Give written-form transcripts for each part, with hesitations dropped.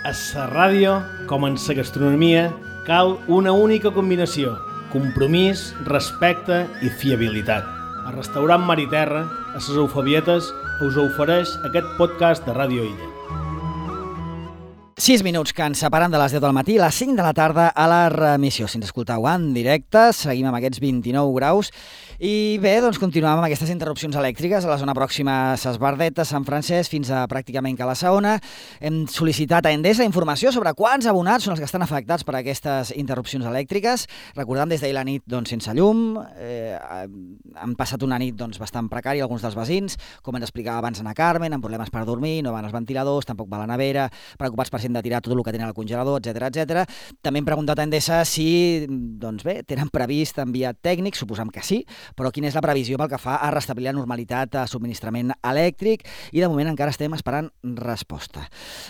A la ràdio, com en la gastronomia, cal una única combinació: compromís, respecte i fiabilitat. El restaurant Mar i Terra, a les Eufebietes, us ofereix aquest podcast de Ràdio Illa. 6 minuts que ens separen de les 10 del matí a les 5 de la tarda a la remissió. Si ens escolteu en directe, seguim amb aquests 29 graus. I bé, doncs continuem amb aquestes interrupcions elèctriques a la zona pròxima a Ses Bardetes, Sant Francesc, fins a pràcticament Cala Saona. Hem sol·licitat a Endesa informació sobre quants abonats són els que estan afectats per aquestes interrupcions elèctriques. Recordem, des d'ahir la nit sense llum, han passat una nit bastant precària alguns dels veïns, com ens explicava abans Ana Carmen, amb problemes per dormir, no van els ventiladors, tampoc va la nevera, preocupats per de tirar tot el que tenen al congelador, etc. També hem preguntat a Endesa si, tenen previst enviar tècnics, suposam que sí, però quina és la previsió pel que fa a restablir la normalitat de subministrament elèctric, i de moment encara estem esperant resposta.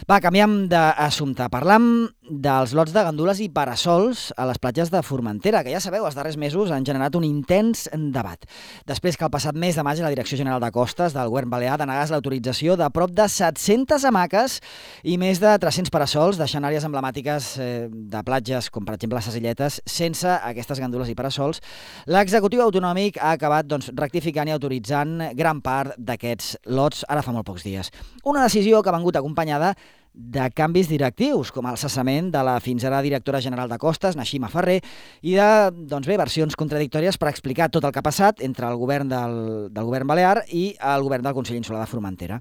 Va, canviem d'assumpte. Parlam dels lots de gandules i parasols a les platges de Formentera, que ja sabeu, els darrers mesos han generat un intens debat. Després que el passat mes de maig la Direcció General de Costes del Govern Balear denegés l'autorització de prop de 700 hamaques i més de 300 parasols, deixant àrees emblemàtiques de platges, com per exemple les Illetes, sense aquestes gandules i parasols, l'executiu autonòmic ha acabat rectificant i autoritzant gran part d'aquests lots ara fa molt pocs dies. Una decisió que ha vingut acompanyada de canvis directius, com el cessament de la fins ara directora general de Costes, Naixima Ferrer, i de versions contradictòries per explicar tot el que ha passat entre el govern del govern balear i el govern del Consell Insular de Formentera.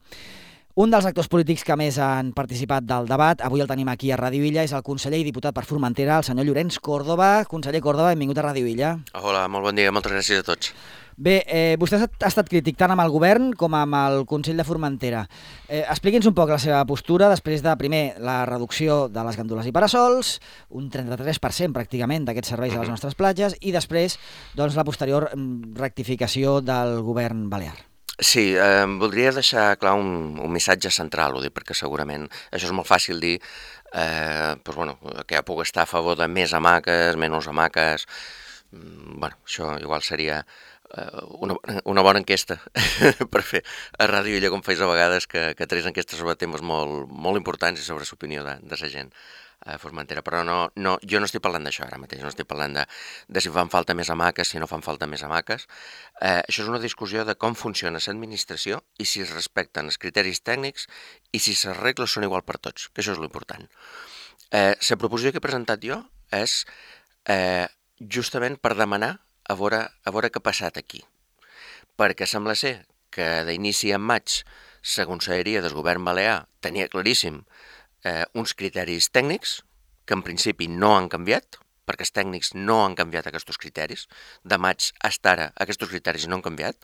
Un dels actors polítics que més han participat del debat, avui el tenim aquí a Ràdio Illa, és el conseller i diputat per Formentera, el senyor Llorenç Córdoba. Conseller Córdoba, benvingut a Ràdio Illa. Hola, molt bon dia, moltes gràcies a tots. Bé, vostè ha estat crític tant amb el govern com amb el Consell de Formentera. Expliqui'ns un poc la seva postura després de, primer, la reducció de les gandules i parasols, un 33% pràcticament d'aquests serveis a les nostres platges, i després la posterior rectificació del govern balear. Sí, voldria deixar clar un missatge central, ho dic perquè segurament això és molt fàcil dir, que ja puc estar a favor de més hamaques, menys hamaques, això igual seria una bona enquesta per fer a Ràdio Illa, com feis a vegades, que tres enquestes sobre temes molt importants i sobre l'opinió de la gent a Formentera, però jo no estic parlant d'això ara mateix, no estic parlant de si fan falta més hamaques, si no fan falta més hamaques. Això és una discussió de com funciona l'administració i si es respecten els criteris tècnics i si les regles són igual per tots, que això és l'important. La proposició que he presentat jo és justament per demanar a veure què ha passat aquí, perquè sembla ser que d'inici en maig la Conselleria del Govern Balear tenia claríssim uns criteris tècnics que en principi no han canviat, perquè els tècnics no han canviat aquests criteris. De maig fins ara aquests criteris no han canviat.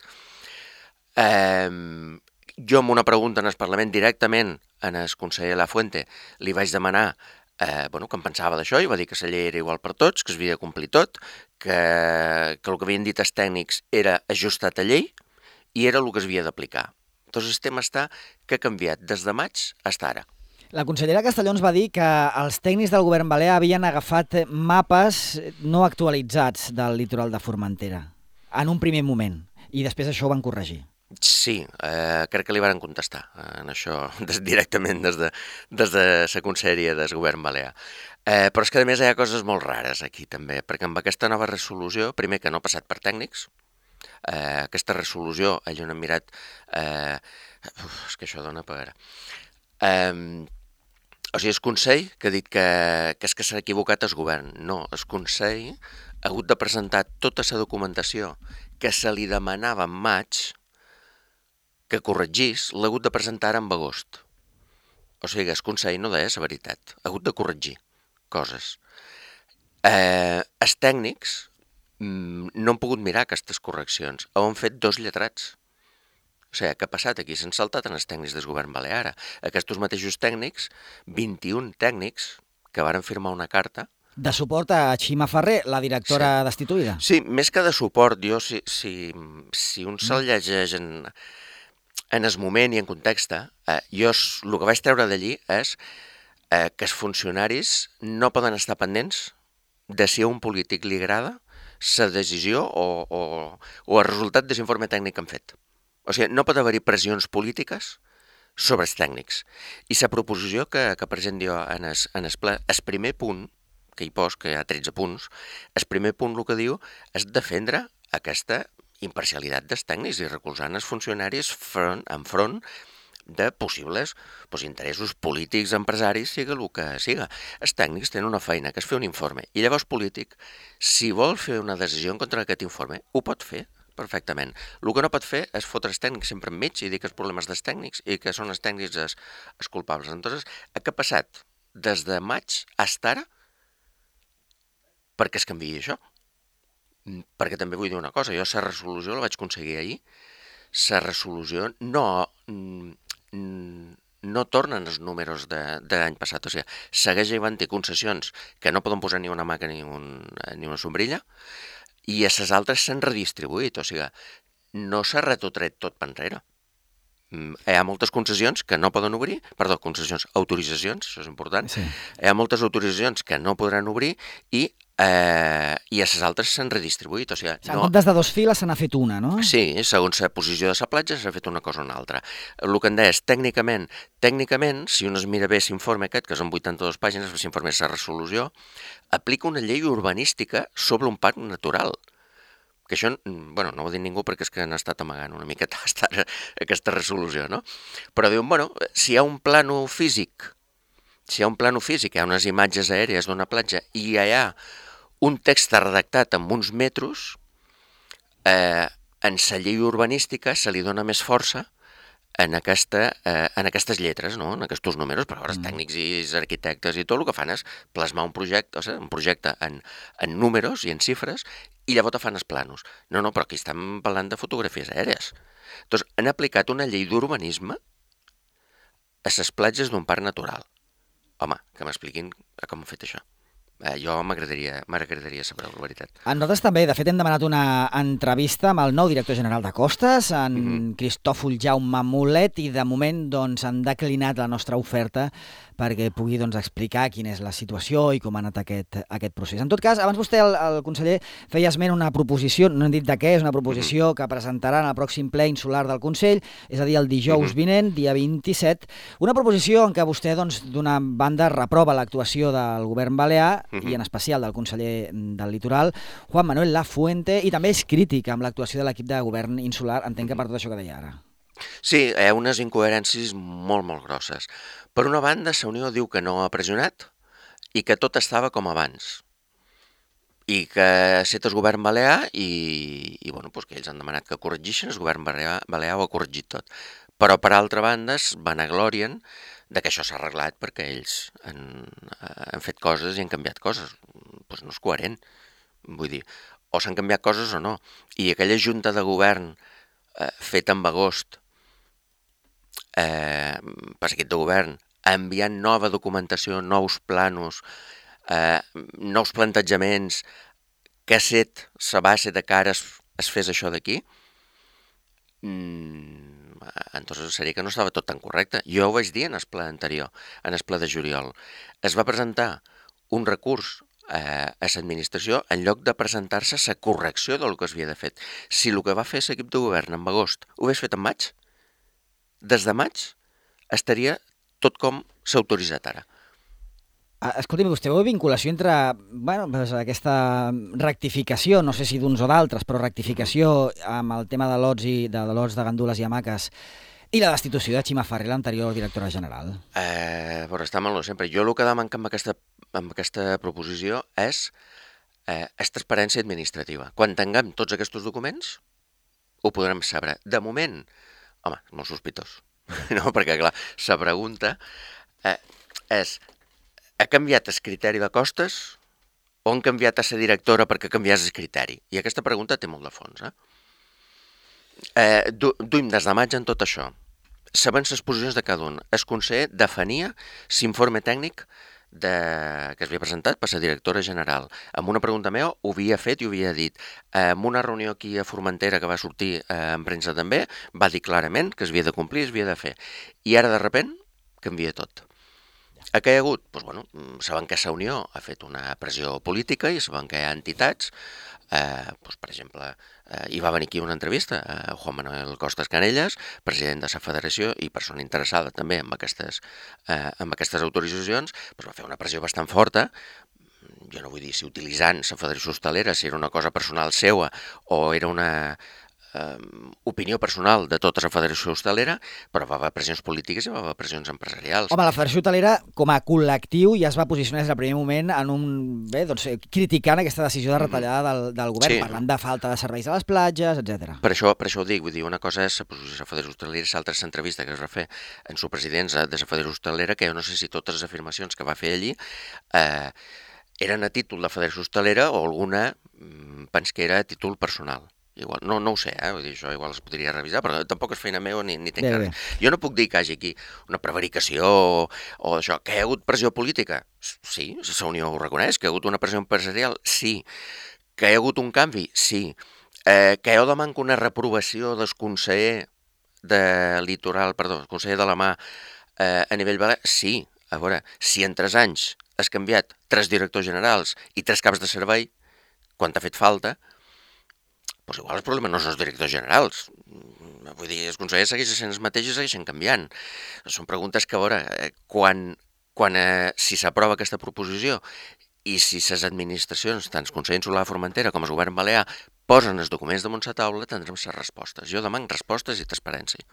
Jo amb una pregunta en el Parlament directament al conseller Lafuente li vaig demanar que em pensava d'això i va dir que la llei era igual per tots, que s'havia de complir tot, que el que havien dit els tècnics era ajustat a llei i era el que s'havia d'aplicar. Doncs el tema està que ha canviat des de maig fins ara. La consellera Castellons va dir que els tècnics del govern balear havien agafat mapes no actualitzats del litoral de Formentera en un primer moment i després això ho van corregir. Sí, crec que li van contestar en això directament des de la conselleria del govern balear. Però és que a més hi ha coses molt rares aquí també, perquè amb aquesta nova resolució, primer que no ha passat per tècnics, aquesta resolució, allò n'hem mirat, és que això dona per... O sigui, el Consell que ha dit que és que s'ha equivocat el govern. No, el Consell ha hagut de presentar tota la documentació que se li demanava en maig que corregís, l'ha hagut de presentar en agost. O sigui, el Consell no deia la veritat, ha hagut de corregir coses. Els tècnics no han pogut mirar aquestes correccions, ho han fet dos lletrats. O sigui, què ha passat aquí? S'han saltat en els tècnics del govern balear. Aquests mateixos tècnics, 21 tècnics que varen firmar una carta... De suport a Naixima Ferrer, la directora destituïda. Sí, més que de suport, jo, si un se'l llegeix en el moment i en context, jo el que vaig treure d'allí és que els funcionaris no poden estar pendents de si a un polític li agrada la decisió o el resultat de l'informe tècnic que han fet. O sigui, no pot haver-hi pressions polítiques sobre els tècnics. I la proposició que present jo en el ple, el primer punt que hi pos, que hi ha 13 punts, el primer punt el que diu és defendre aquesta imparcialitat dels tècnics i recolzant els funcionaris enfront de possibles interessos polítics, empresaris, siga el que siga. Els tècnics tenen una feina, que és fer un informe, i llavors polític, si vol fer una decisió en contra d'aquest informe, ho pot fer perfectament. El que no pot fer és fotre els tècnics sempre enmig i dir que els problemes dels tècnics i que són els tècnics els culpables. Entonces, què ha passat des de maig fins ara perquè es canviï això? Perquè també vull dir una cosa, jo la resolució la vaig aconseguir ahir, la resolució no tornen els números de l'any passat, o sigui, segueix havent-hi concessions que no poden posar ni una maca ni una sombrilla, i a les altres s'han redistribuït, o sigui, no s'ha retotret tot per enrere. Hi ha moltes concessions que no poden obrir, autoritzacions, això és important, sí. Hi ha moltes autoritzacions que no podran obrir i a les altres s'han redistribuït. O sigui, en comptes de 2 files se n'ha fet una, no? Sí, segons la posició de la platja s'ha fet una cosa o una altra. El que em deia és, tècnicament, si un es mira bé l'informe aquest, que són 82 pàgines, l'informe és la resolució, aplica una llei urbanística sobre un parc natural. Que això, no ho ha dit ningú perquè és que han estat amagant una miqueta aquesta resolució, no? Però diuen, si hi ha un plano físic, hi ha unes imatges aèries d'una platja i hi ha un text redactat amb uns metros, en la llei urbanística se li dona més força en aquestes lletres, no? En aquests números, però els tècnics i els arquitectes i tot el que fan és plasmar un projecte en números i en xifres i llavors fan els planos. No, però aquí estem parlant de fotografies aèries. Doncs han aplicat una llei d'urbanisme a les platges d'un parc natural. Home, que m'expliquin com han fet això. Jo m'agradaria saber la veritat. A nosaltres també, de fet, hem demanat una entrevista amb el nou director general de Costes, en Cristòfol Jaume Mulet, i de moment han declinat la nostra oferta perquè pugui explicar quina és la situació i com ha anat aquest procés. En tot cas, abans vostè, el conseller, feia esment una proposició, no hem dit de què, és una proposició que presentaran al pròxim ple insular del Consell, és a dir, el dijous vinent, dia 27, una proposició en què vostè, d'una banda, reprova l'actuació del govern balear i en especial del conseller del Litoral, Juan Manuel Lafuente, i també és crític amb l'actuació de l'equip de govern insular, entenc que per tot això que deia ara. Sí, hi ha unes incoherències molt, molt grosses. Per una banda, la Unió diu que no ha pressionat i que tot estava com abans. I que set el govern balear i que ells han demanat que corregeixin, el govern balear ho ha corregit tot. Però, per altra banda, es vanaglorien que això s'ha arreglat perquè ells han fet coses i han canviat coses. Doncs no és coherent. Vull dir, o s'han canviat coses o no. I aquella junta de govern feta en agost, per equip de govern, enviant nova documentació, nous planos, nous plantejaments, que la base de cara es fes això d'aquí, entonces seria que no estava tot tan correcte. Jo ho vaig dir en el ple anterior, en el ple de juliol. Es va presentar un recurs a l'administració en lloc de presentar-se la correcció del que s'havia de fer. Si el que va fer l'equip de govern en agost ho hagués fet en maig, des de maig estaria tot com s'ha autoritzat ara. Escolti'm, vostè veu vinculació entre aquesta rectificació, no sé si d'uns o d'altres, però rectificació amb el tema de lots de gandules i hamaques i la destitució de Xima Ferrer, l'anterior directora general? Però està mal sempre. Jo el que demanca amb aquesta proposició és transparència administrativa. Quan tinguem tots aquests documents, ho podrem saber. De moment, home, és molt sospitós. No, perquè, clar, la pregunta és: ha canviat el criteri de costes o han canviat a la directora perquè canviés el criteri? I aquesta pregunta té molt de fons. Duim des de maig en tot això, sabent les posicions de cada un. El conseller defenia l'informe tècnic que es havia presentat per la directora general. Amb una pregunta meva ho havia fet i ho havia dit. En una reunió aquí a Formentera que va sortir en premsa també, va dir clarament que es havia de complir, es havia de fer. I ara, de sobte, canvia tot. Què hi ha hagut? Doncs, bueno, saben que Unió ha fet una pressió política i saben que hi ha entitats, doncs, per exemple, hi va venir aquí una entrevista a Juan Manuel Costas Canellas, president de la federació i persona interessada també amb aquestes autoritzacions, doncs va fer una pressió bastant forta. Jo no vull dir si utilitzant la Federació Hostalera, si era una cosa personal seua o era una opinió personal de tota la Federació Hostalera, però va haver pressions polítiques i va haver pressions empresarials. Home, la Federació Hotelera, com a col·lectiu, ja es va posicionar des del primer moment criticant aquesta decisió de retallada del govern, parlant de falta de serveis a les platges, etc. Per això ho dic, vull dir, una cosa és la posició de la Federació Hostalera i l'altra és l'entrevista que es va fer en su presidència de la Federació Hostalera, que jo no sé si totes les afirmacions que va fer allí eren a títol de Federació Hostalera o alguna pens que era a títol personal. Igual, no ho sé, vull dir, això igual es podria revisar, però tampoc és feina meva ni tinc res. Jo no puc dir que hi hagi aquí una prevaricació o això. Que hi ha hagut pressió política? Sí, la Unió ho reconeix. Que hi ha hagut una pressió empresarial? Sí. Que hi ha hagut un canvi? Sí. Que jo demanco una reprovació del conseller de Litoral, perdó, el conseller de la Mà a nivell balear? Sí. A veure, si en 3 anys has canviat 3 directors generals i 3 caps de servei, quan t'ha fet falta, doncs igual el problema no són els directors generals. Vull dir, els consellers segueixen sent els mateixos i segueixen canviant. Són preguntes que, a veure, si s'aprova aquesta proposició i si les administracions, tant el Consell Insular de Formentera com el Govern Balear, posen els documents damunt la taula, tindrem les respostes. Jo demano respostes i transparència.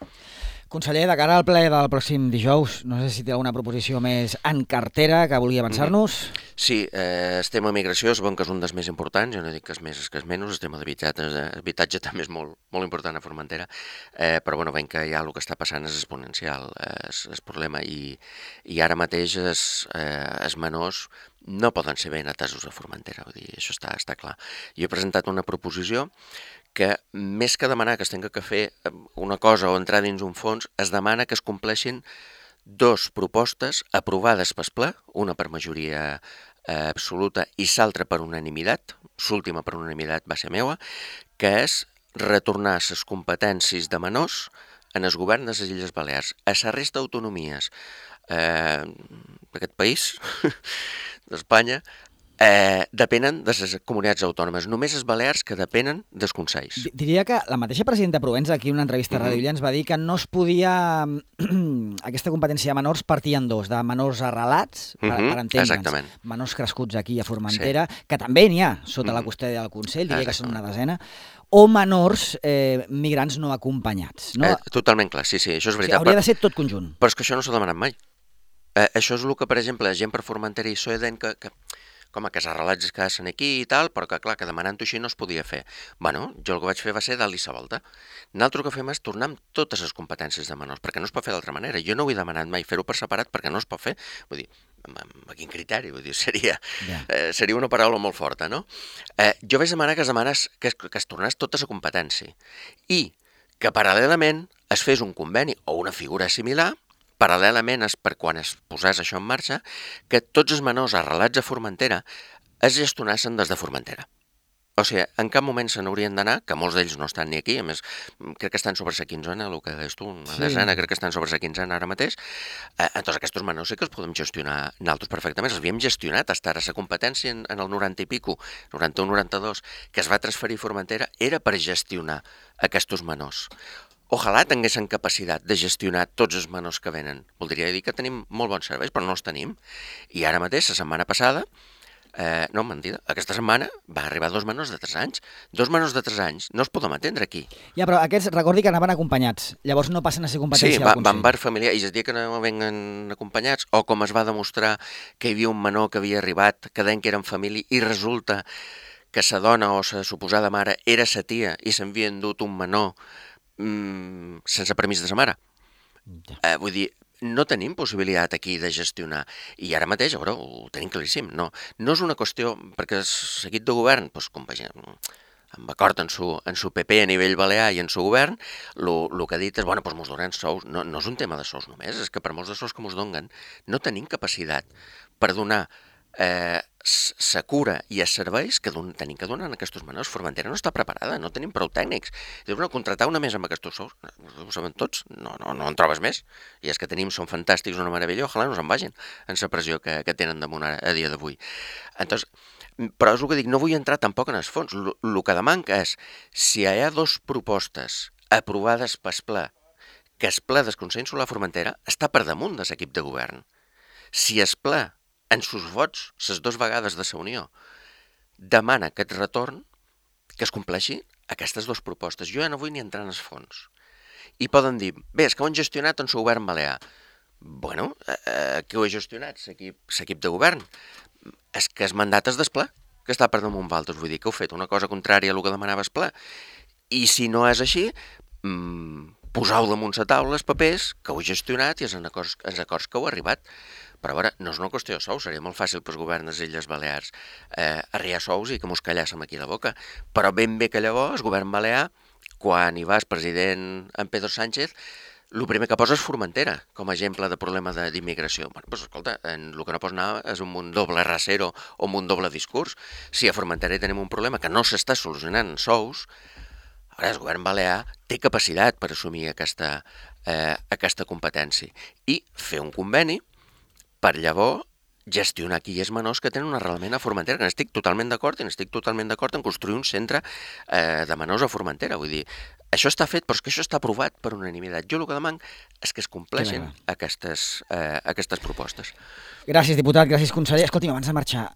Conseller, de cara al ple del pròxim dijous, no sé si té alguna proposició més en cartera que vulgui avançar-nos. Sí, el tema de migració és bon que és un dels més importants, jo no dic que és més que és menys, el tema d'habitatge també és molt important a Formentera, però bueno, veiem que ja el que està passant és exponencial, el problema, i ara mateix els menors no poden ser ben atesos a Formentera, vull dir, això està clar. Jo he presentat una proposició que més que demanar que es tenga que fer una cosa o entrar dins un fons, es demana que es compleixin 2 propostes aprovades pel ple, una per majoria absoluta i l'altra per unanimitat, l'última per unanimitat va ser meua, que és retornar les competències de menors en el govern de les Illes Balears. A la resta d'autonomies d'aquest país, d'Espanya, depenen de les comunitats autònomes. Només els balears que depenen dels consells. Diria que la mateixa presidenta Provença, aquí en una entrevista a Ràdio Illa, ens va dir que no es podia... aquesta competència de menors partia en 2, de menors arrelats, per entendre'ns, menors crescuts aquí a Formentera, que també n'hi ha sota la custòdia del Consell, diria que són una desena, o menors migrants no acompanyats. No? Totalment clar, sí, això és veritat. Hauria de ser tot conjunt. Però és que això no s'ha demanat mai. Això és el que, per exemple, gent per Formentera i Soeden, que com que els arrelats es quedassin aquí i tal, però que clar, que demanant-ho així no es podia fer. Bueno, jo el que vaig fer va ser dar-li la volta. Nosaltres el que fem és tornar amb totes les competències de menors, perquè no es pot fer d'altra manera. Jo no ho he demanat mai fer-ho per separat perquè no es pot fer. Vull dir, amb quin criteri? Vull dir, seria una paraula molt forta, no? Jo vaig demanar que es tornés tota la competència i que paral·lelament es fes un conveni o una figura similar. Paral·lelament, per quan es posés això en marxa, que tots els menors arrelats a Formentera es gestionassin des de Formentera. O sigui, en cap moment se n'haurien d'anar, que molts d'ells no estan ni aquí, a més, crec que estan sobre la quinzena, el que deies tu, una desena, crec que estan sobre la quinzena ara mateix. Entonces, aquests menors sí que els podem gestionar nosaltres perfectament. Els havíem gestionat, fins ara la competència en el 90 i pico, 91-92, que es va transferir a Formentera, era per gestionar aquests menors. Ojalà tinguessin capacitat de gestionar tots els menors que venen. Voldria dir que tenim molt bons serveis, però no els tenim. I ara mateix, la setmana passada, no, mentida, aquesta setmana va arribar 2 menors de 3 anys. 2 menors de 3 anys no els podem atendre aquí. Ja, però aquests, recordi que anaven acompanyats. Llavors no passen a ser competència del Consell. Sí, van bar familiar, i es dia que no venien acompanyats, o com es va demostrar que hi havia un menor que havia arribat, que deien que eren família, i resulta que sa dona o sa suposada mare era sa tia i s'havia endut un menor sense permís de sa mare. Vull dir, no tenim possibilitat aquí de gestionar. I ara mateix, veure, ho tenim claríssim. No és una qüestió, perquè el seguit de govern, amb acord en su PP a nivell balear i en su govern, el que ha dit és, bueno, doncs mos donen sous. No és un tema de sous només, és que per molts de sous que mos donen, no tenim capacitat per donar s'acura i es serveis que tenim que donar en aquests menors. Formentera no està preparada, no tenim prou tècnics. Dius, no, contratar una més amb aquests sous, ho saben tots, no en trobes més. I els que tenim són fantàstics, una meravella, ojalà no se'n vagin en la pressió que tenen damunt a dia d'avui. Entonces, però és el que dic, no vull entrar tampoc en els fons. El que demanca és, si hi ha dues propostes aprovades pel ple, que el ple del Consell Insular Formentera està per damunt de l'equip de govern. Si el ple, en sus vots, les dues vegades de la Unió, demana aquest retorn, que es compleixi aquestes dues propostes. Jo ja no vull ni entrar en els fons. I poden dir, bé, és que ho han gestionat en el govern balear. Bueno, qui ho ha gestionat? L'equip de govern. És que el mandat és del ple, que està per damunt valtres. Vull dir que heu fet una cosa contrària a el que demanava el ple. I si no és així, poseu damunt la taula els papers que heu gestionat i els acords que heu arribat. Però a veure, no és una qüestió de sous, seria molt fàcil pels governs de les Illes Balears arriar sous i que mos callàssim aquí la boca. Però ben bé que llavors el govern balear, quan hi va el president en Pedro Sánchez, el primer que posa és Formentera, com a exemple de problema d'immigració. Bueno, doncs escolta, el que no pots anar és un doble rasero o un doble discurs. Si a Formentera hi tenim un problema que no s'està solucionant en sous, ara el govern balear té capacitat per assumir aquesta competència i fer un conveni per llavors gestionar aquí els menors que tenen un arrelament a Formentera, que n'estic totalment d'acord i n'estic totalment d'acord en construir un centre de menors a Formentera. Vull dir, això està fet, però és que això està aprovat per unanimitat. Jo el que demano és que es compleixin aquestes propostes. Gràcies, diputat, gràcies, conseller. Escolti'm, abans de marxar,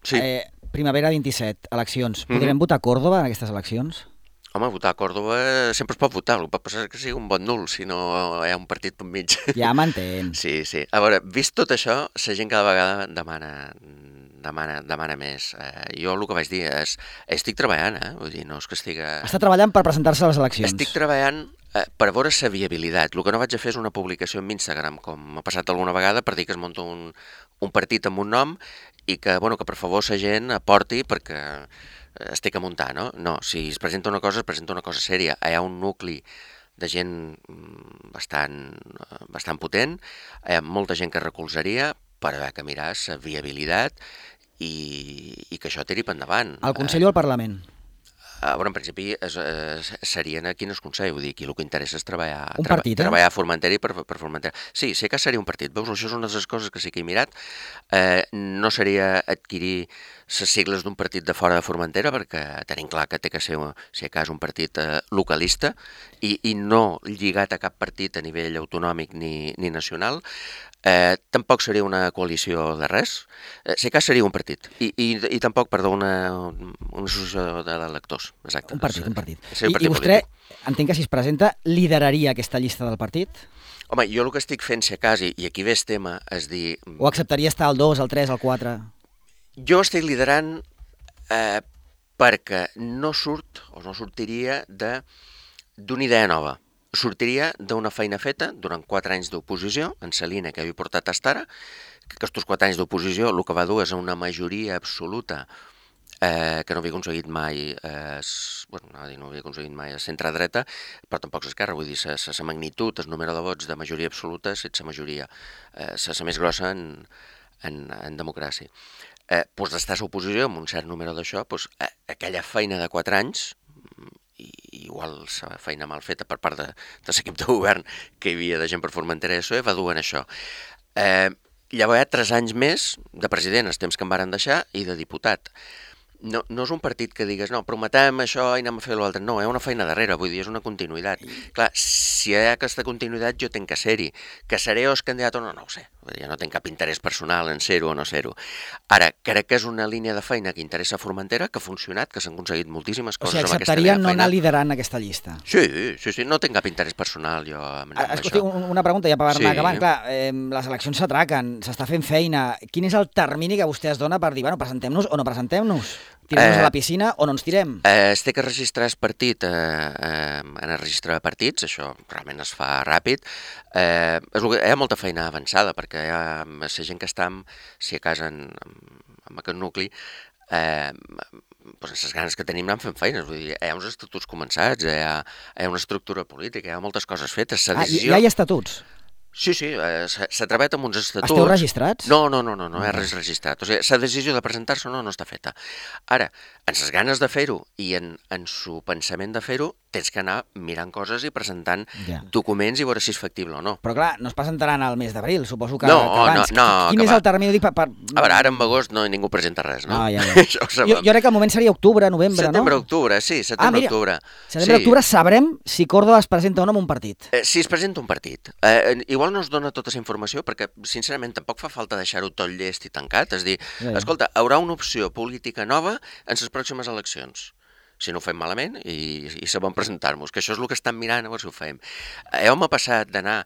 primavera 27, eleccions. Podrem votar a Còrdova en aquestes eleccions? Home, votar a Còrdova sempre es pot votar, el que pot passar és que sigui un vot nul, si no hi ha un partit per mig. Ja m'entén. Sí. A veure, vist tot això, la gent cada vegada demana més. Jo el que vaig dir és, estic treballant, vull dir, no és que estic... Està treballant per presentar-se a les eleccions. Estic treballant per veure la viabilitat. El que no vaig a fer és una publicació en Instagram, com m'ha passat alguna vegada, per dir que es munta un partit amb un nom i que, bueno, que per favor la gent aporti perquè estic a muntar, no? No, si es presenta una cosa sèria. Hi ha un nucli de gent bastant potent, hi ha molta gent que recolzaria per haver que mirar la viabilitat i que això tiri per endavant. Al Consell o al Parlament? Bueno, en principi serien aquí en el Consell, vull dir, aquí el que interessa és treballar a Formentera i per Formentera. Sí, sé que seria un partit, veus, això és una de les coses que sí que he mirat. No seria adquirir les sigles d'un partit de fora de Formentera, perquè tenim clar que té que ser, si a cas, un partit localista i no lligat a cap partit a nivell autonòmic ni nacional. Tampoc seria una coalició de res, si cas seria un partit i tampoc, perdó, una associació d'electors, exacte. Un partit. I vostè, entenc que si es presenta, lideraria aquesta llista del partit? Home, jo el que estic fent, si a cas, i aquí ve el tema, és dir... O acceptaria estar al 2, al 3, al 4? Jo estic liderant perquè no sortiria d'una idea nova. Sortiria d'una feina feta durant 4 anys d'oposició, en la línia que havia portat fins ara, que aquests 4 anys d'oposició el que va dur és una majoria absoluta que no havia aconseguit mai, el centre-dreta, però tampoc l'esquerra, vull dir, la magnitud, el número de vots de majoria absoluta, sense majoria, la més grossa en democràcia. Doncs d'estar a l'oposició amb un cert número d'això, aquella feina de 4 anys, i igual la feina mal feta per part de l'equip de govern que hi havia de gent per Formentera i PSOE va dur en això. Llavors hi ha 3 anys més de president, els temps que em varen deixar, i de diputat. No és un partit que digues, no, prometem això i anem a fer l'altre. No, hi ha una feina darrere, vull dir, és una continuïtat. Clar, si hi ha aquesta continuïtat jo tenc que ser-hi. Que seré o el candidat o no ho sé. Jo no tinc cap interès personal en ser-ho o no ser-ho. Ara, crec que és una línia de feina que interessa a Formentera, que ha funcionat, que s'han aconseguit moltíssimes coses amb aquesta línia de feina. O sigui, acceptaria no anar liderant aquesta llista? Sí, no tinc cap interès personal jo amb això. Una pregunta ja per anar acabant. Clar, les eleccions s'atraquen, s'està fent feina. Quin és el termini que vostè es dona per dir, bueno, presentem-nos o no presentem-nos? Tirem-nos a la piscina o no ens tirem? Es té que registrar el partit en el registre de partits, això realment es fa ràpid. Hi ha molta feina avançada, perquè hi ha la gent que està, si a casa amb aquest nucli, les ganes que tenim anant fent feines. Vull dir, hi ha uns estatuts començats, hi ha una estructura política, hi ha moltes coses fetes. Hi ha estatuts? Sí, s'ha treballat amb uns estatuts... Esteu registrats? No, és res registrat. O sigui, la decisió de presentar-se no està feta. Ara, en les ganes de fer-ho i en su pensament de fer-ho, tens que anar mirant coses i presentant documents i veure si és factible o no. Però clar, no es presentaran al mes d'abril, suposo que, que abans. Quin és el termini? A veure, ara en agost ningú presenta res, no? Jo crec que el moment seria octubre, novembre, no? Setembre-octubre, sí, setembre-octubre. Setembre-octubre sabrem si Córdoba es presenta o no en un partit. Si es presenta un partit. Igual no es dona tota aquesta informació perquè, sincerament, tampoc fa falta deixar-ho tot llest i tancat. És dir, escolta, haurà una opció política nova en les pròximes eleccions. Si no ho fem malament i sabem presentar-nos, que això és el que estan mirant, a veure si ho fem. M'ha passat d'anar,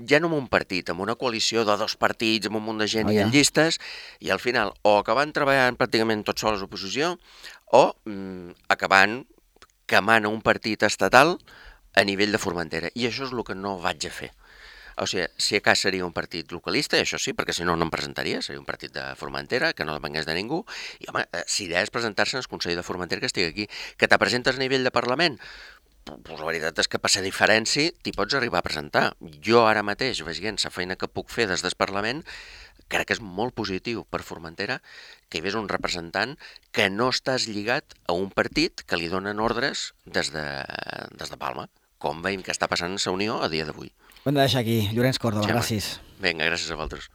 ja no en un partit, amb una coalició de 2 partits, amb un munt de gent i en llistes, i al final o acabant treballant pràcticament tots sols a l'oposició, o acabant quemant un partit estatal a nivell de Formentera. I això és el que no vaig a fer. O sigui, si a cas seria un partit localista, i això sí, perquè si no, no em presentaria, seria un partit de Formentera, que no depengués de ningú, i home, si idea és presentar-se en el Consell de Formentera que estigui aquí. Que te presentes a nivell de Parlament? Pues la veritat és que per ser diferència t'hi pots arribar a presentar. Jo ara mateix, veient la feina que puc fer des del Parlament, crec que és molt positiu per Formentera que hi hagués un representant que no estàs lligat a un partit que li donen ordres des de Palma, com veiem que està passant a la Unió a dia d'avui. Ho hem de deixar aquí. Llorenç Córdoba, gràcies. Vinga, gràcies a vosaltres.